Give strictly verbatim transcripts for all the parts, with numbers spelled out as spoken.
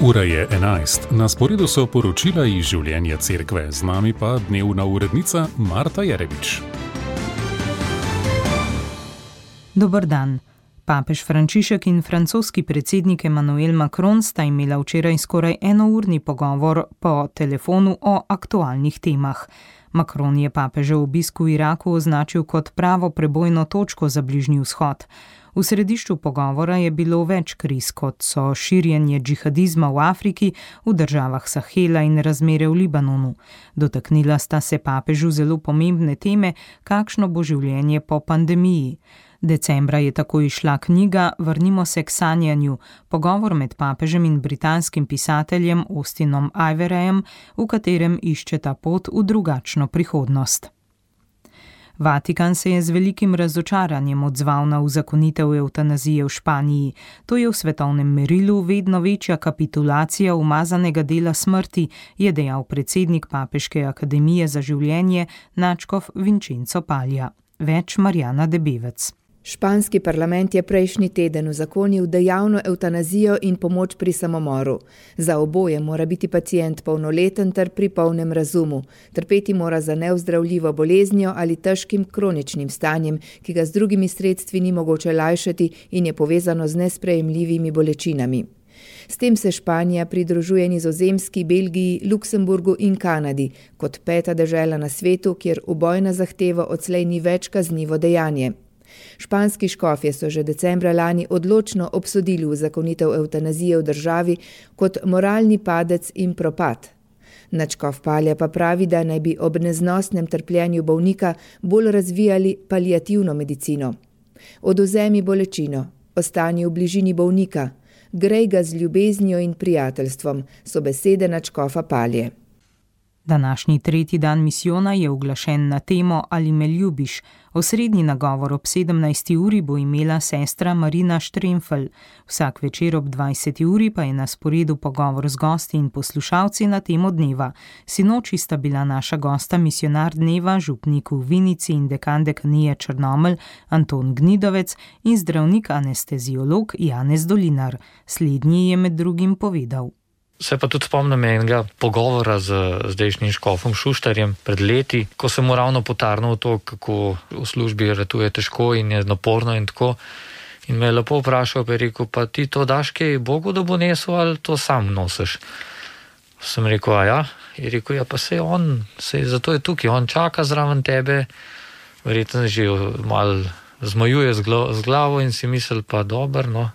Ura je enajst, na sporedu so poročila iz življenja cerkve, z nami pa dnevna urednica Marta Jerevič. Dober dan. Papež Frančišek in francoski predsednik Emmanuel Macron sta imela včeraj skoraj enourni pogovor po telefonu o aktualnih temah. Macron je papežev obisk v Iraku označil kot pravo prebojno točko za Bližnji vzhod. V središču pogovora je bilo več kriz, kot so širjenje džihadizma v Afriki, v državah Sahela in razmere v Libanonu. Dotaknila sta se papežu zelo pomembne teme, kakšno bo življenje po pandemiji. Decembra je tako izšla knjiga Vrnimo se k sanjanju, pogovor med papežem in britanskim pisateljem Austinom Iverayem, v katerem iščeta pot v drugačno prihodnost. Vatikan se je z velikim razočaranjem odzval na uzakonitev evtanazije v Španiji. To je v svetovnem merilu vedno večja kapitulacija umazanega dela smrti, je dejal predsednik Papeške akademije za življenje nadškof Vincenzo Paglia. Več Marjana Debevec. Španski parlament je prejšnji teden uzakonil dejavno evtanazijo in pomoč pri samomoru. Za oboje mora biti pacient polnoleten ter pri polnem razumu. Trpeti mora za neozdravljivo boleznjo ali težkim kroničnim stanjem, ki ga z drugimi sredstvi ni mogoče lajšati in je povezano z nesprejemljivimi bolečinami. S tem se Španija pridružuje Nizozemski, Belgiji, Luksemburgu in Kanadi, kot peta dežela na svetu, kjer ubojna zahteva odslej ni več kaznivo dejanje. Španski škofje so že decembra lani odločno obsodili uzakonitev evtanazije v državi kot moralni padec in propad. Nadškof Paglia pa pravi, da naj bi ob neznosnem trpljenju bolnika bolj razvijali paliativno medicino. Odvzemi bolečino, ostani v bližini bolnika, grej ga z ljubeznijo in prijateljstvom, so besede nadškofa Paglie. Današnji tretji dan misijona je uglašen na temo Ali me ljubiš. Osrednji nagovor ob sedemnajsti uri bo imela sestra Marina Štremfelj. Vsak večer ob dvajseti uri pa je na sporedu pogovor z gosti in poslušalci na temo dneva. Sinoči sta bila naša gosta misionar dneva, župnik v Vinici in dekan dekanije Črnomelj Anton Gnidovec in zdravnik anesteziolog Janez Dolinar. Slednji je med drugim povedal. Se pa tudi spomnim enega pogovora z zdajšnjim škofom Šuštarjem pred leti, ko sem mu ravno potarnal to, kako v službi ratuje težko in je naporno in tako. In me je lepo vprašal, pa je rekel, pa ti to daš kaj Bogu, da bo nesel, ali to sam nosiš? Sem rekel, a ja? Je rekel, ja pa sej on, sej zato je tukaj, on čaka zraven tebe, verjetno že malo zmajuje z, glo, z glavo in si misli, pa dober, no,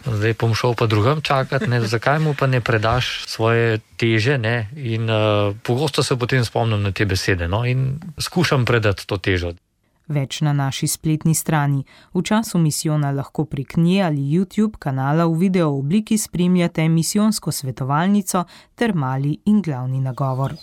zdaj bom šel pa drugam čakati, ne, zakaj mu pa ne predaš svoje teže, ne, in uh, pogosto se potem spomnim na te besede, no, in skušam predati to težo. Več na naši spletni strani. V času misijona lahko prek nje ali YouTube kanala v video obliki spremljate misijonsko svetovalnico ter mali in glavni nagovor.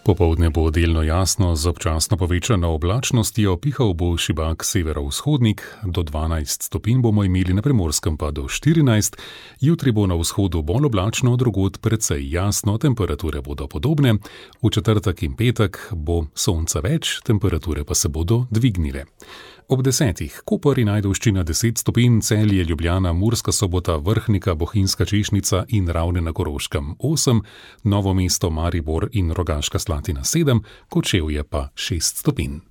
Popoldne bo delno jasno, z občasno povečano oblačnostjo, pihal bo šibak severovzhodnik, do dvanajst stopinj bomo imeli na Primorskem pa do štirinajst, jutri bo na vzhodu bolj oblačno, drugod precej jasno, temperature bodo podobne, v četrtek in petek bo sonca več, temperature pa se bodo dvignile. Ob desetih Koper in Ajdovščina deset stopinj, Celje, Ljubljana, Murska Sobota, Vrhnika, Bohinjska Češnica in Ravne na Koroškem osem, Novo mesto, Maribor in Rogaška Slatina sedem, Kočevje pa šest stopinj.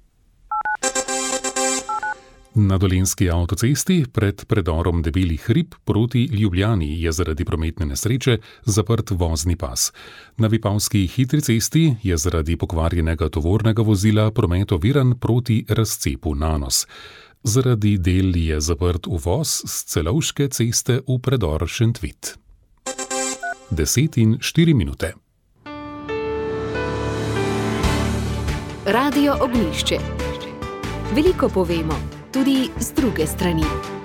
Na Dolenjski avtocesti pred predorom Debeli hrib proti Ljubljani je zaradi prometne nesreče zaprt vozni pas. Na Vipavski hitri cesti je zaradi pokvarjenega tovornega vozila promet oviran proti razcepu Nanos. Zaradi del je zaprt uvoz s Celovške ceste v predor Šentvit. Deset in štiri minute. Radio Ognjišče. Veliko povemo, tudi z druge strani.